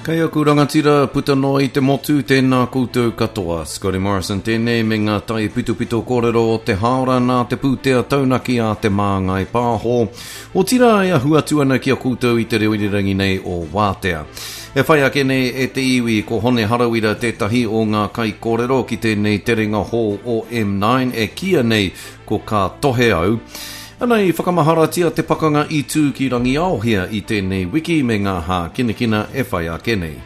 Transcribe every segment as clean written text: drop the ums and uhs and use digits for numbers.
Kei aku rangatira puta noa i te motu, tēnā koutou katoa. Scotty Morrison tēnei me ngā taipitopito kōrero o te hāora nā te pūtea taunaki a Te Māngai Pāho. Otirā e ahu atu ana ki a koutou i te reo irirangi nei o Wātea. E whai ake nei e te iwi ko Hone Harawira tētahi o ngā kaikōrero ki tēnei terenga hou o M9 e kīia nei ko Ka Tohe Au. Ana i whakamaharatia te pakanga i tū ki Rangiaohia i tēnei wiki me ngā hākinakina e whai ake nei.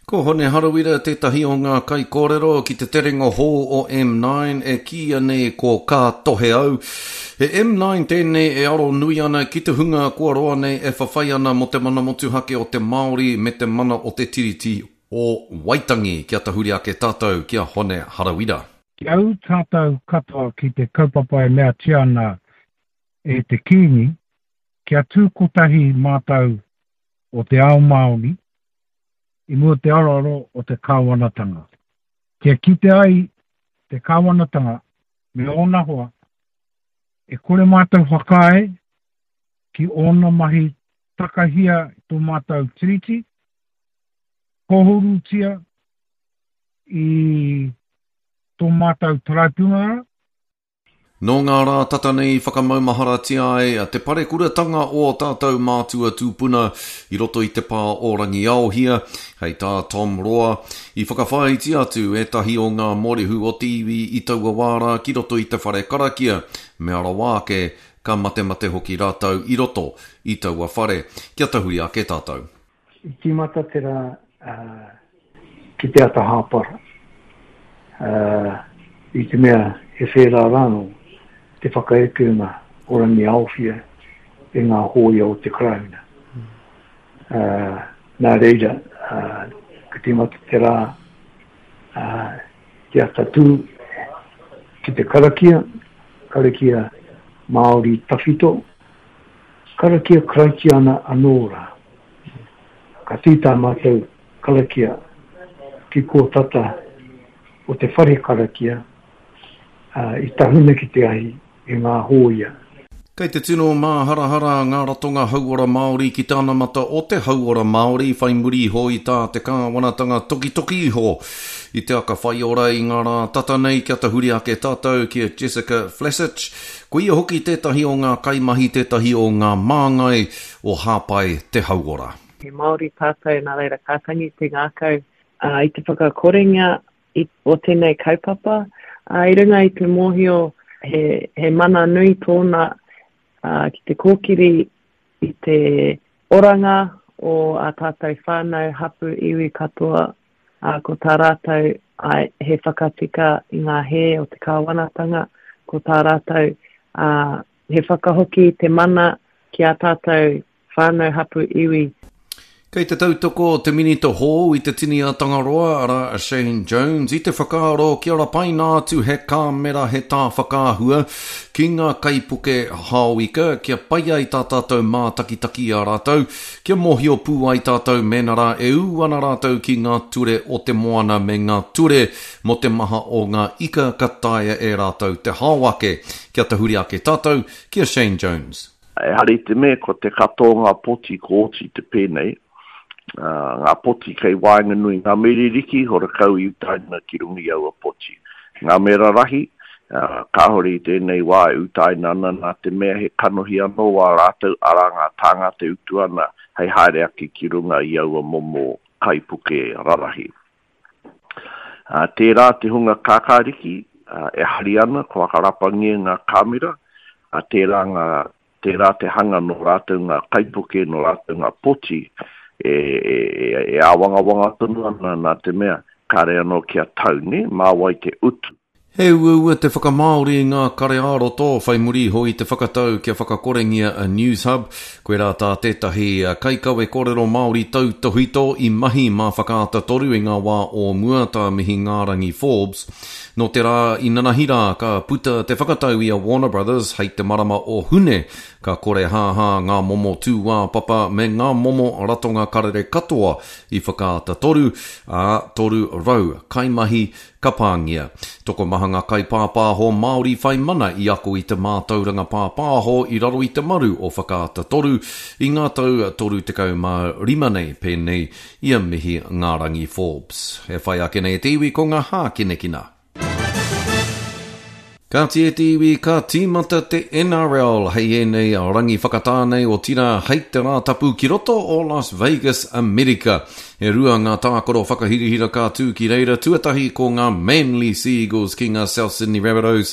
Ko Hone Harawira tētahi o ngā kaikōrero ki te terenga hou o M9 e kīia nei ko Ka Tohe Au. He M9 tēnei e aro nui ana ki te hunga kua roa nei e whawhai ana mō te mana motuhake o te Māori me te mana o te Tiriti o Waitangi. Kia tahuri ake tātou ki a Hone Harawira. Kia ū tātou katoa ki te kaupapa e meatia ana e te Kīngi, kia tū kotahi mātou o te ao Māori i mua te aroaro o te kāwanatanga. Kia kite ai te kāwanatanga me ōna hoa, e kore mātou whakaae ki ōna mahi takahia tō mātou Tiriti, kōhurutia i tō mātou taraipiunara. Nō ngā rā tata nei i whakamaumaharatia ai te parekuratanga o ō tātou mātua tūpuna i roto i te pā o Rangiaohia, hei tā Tom Roa, i whakawhāiti atu ētahi o ngā mōrehu o te iwi i taua wā rā ki roto i te whare karakia, mea rawa ake, ka matemate hoki rātou i roto i taua whare. Kia tahuri ake tātou. I tīmata te rā ki te ata hāpara, i te mea he whērā rānō te whakaekenga o Rangiaowhia e ngā hōia o te Karauna. Nā reira, ka tīmata te rā te ata tū ki te karakia, karakia Māori tawhito, karakia Karaitiana anō rā. Ka tū tā mātou karakia ki kō tata o te whare karakia, ā, i tahuna ki te ahi e ngā hōia. Kei te tino māharahara ngā ratonga hauora Māori ki te anamata o te hauora Māori whai muri iho i tā te kāwanatanga tokitoki iho i te aka whaiora i ngā rā tata nei kia tahuri ake tātou ki a Jessica Flasich, ko ia hoki tētahi o ngā kaimahi tētahi o ngā māngai o Hāpai te Hauora. He Māori tātou, nā reira ka tangi te ngākau i te whakakorengia o tēnei kaupapa. I runga i te mōhio he, he mana nui tōna ki te kōkiri i te oranga o ā tātou whānau, hapū, iwi katoa, ā, ko tā rātou āe, he whakatika i ngā hē o te kāwanatanga, ko tā rātou, ā, He whakahoki te mana ki ā tātou whānau hapū iwi. Kei te tautoko te Minita hou i te tini a Tangaroa, arā a Shane Jones, i te whakaaro kia rapaina atu he kāmera he tā whakaahua ki ngā kaipuke hao ika kia pai ai tā tātou mātakitaki i a rātou, kia mōhio pū ai tātou mēnā rā e ū ana rātou ki ngā ture o te moana me ngā ture mō te maha o ngā ika ka taea e rātou te hao ake. Kia tahuri ake tātou ki a Shane Jones. Ehara i te mea ko te katoa o ngā poti ko oti te pēnei, ngā poti kei waenganui ngā me ririki horakau i utaina ki runga i aua poti. Ngā me rarahi, kāore i tēnei wā e utaina ana nā te mea he kanohi anō wā rātou, arā ngā tāngata e utu ana hei haere ake ki runga i aua momo kaipuke rarahi. Ā, tērā te hunga kākāriki, ā, e hari ana, kua whakarapangia ngā kāmera, ā, tērā ngā, tērā te hanga nō rātou ngā kaipuke, nō rātou ngā poti, e, e, e, e āwangawanga tonu ana nā te mea, kāre anō kia tau, nē, mā wai te utu. He uaua te whakamāori i ngā kare ā-roto whai muri iho i te whakatau kia whakakorengia a Newshub. Koirā tā tētahi kaikawe kōrero Māori tautōhito i mahi mā Whakaata Toru i ngā wā o mua, tā Mihingārangi Forbes. Nō te rā inanahi rā ka puta te whakatau i a Warner Brothers hei te marama o Hune. Ka korehāhā ngā momo tūāpapa me ngā momo ratonga karere katoa i Whakaata 3, ā, 300 kaimahi ka pāngia. Tokomaha ngā kaipāpāho Māori whai mana i ako i te mātauranga pāpāho i raro i te maru o Whakaata 3 i ngā tau 35 nei, pēnei i a Mihi Ngārangi Forbes. E whai ake nei e te iwi ko ngā hākinakina. Kāti e te iwi, ka tīmata te NRL hei ēnei rangi whakatā nei, otirā hei te Rātapu ki roto o Las Vegas, Amerika. E rua ngā tākaro whakahirahira ka tū ki reira, tuatahi ko ngā Manly Sea Eagles ki ngā South Sydney Rabbitohs,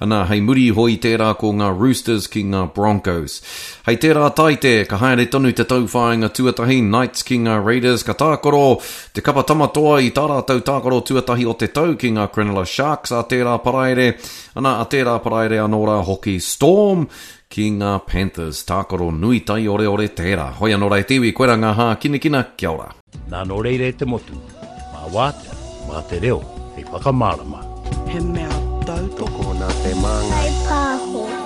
ana hei muri iho i tērā ko ngā Roosters ki ngā Broncos. Hei tērā Taite, ka haere tonu te tauwhāinga tuatahi, Knights ki ngā Raiders, ka tākaro Te kapa Tamatoa i tā rātou tākaro tuatahi o te tau ki ngā Cronulla Sharks a tērā Paraire, ana a tērā Paraire anō rā hoki Storm ki ngā Panthers. Tākaro nui taioreore tērā. Hoi anō rā e te iwi, koirā ngā hākinakina, kia ora. Nā nō reira e te motu, mā wātea, mā te reo hei whakamārama. He mea tautoko. Tokona te māngai. Whai pāho.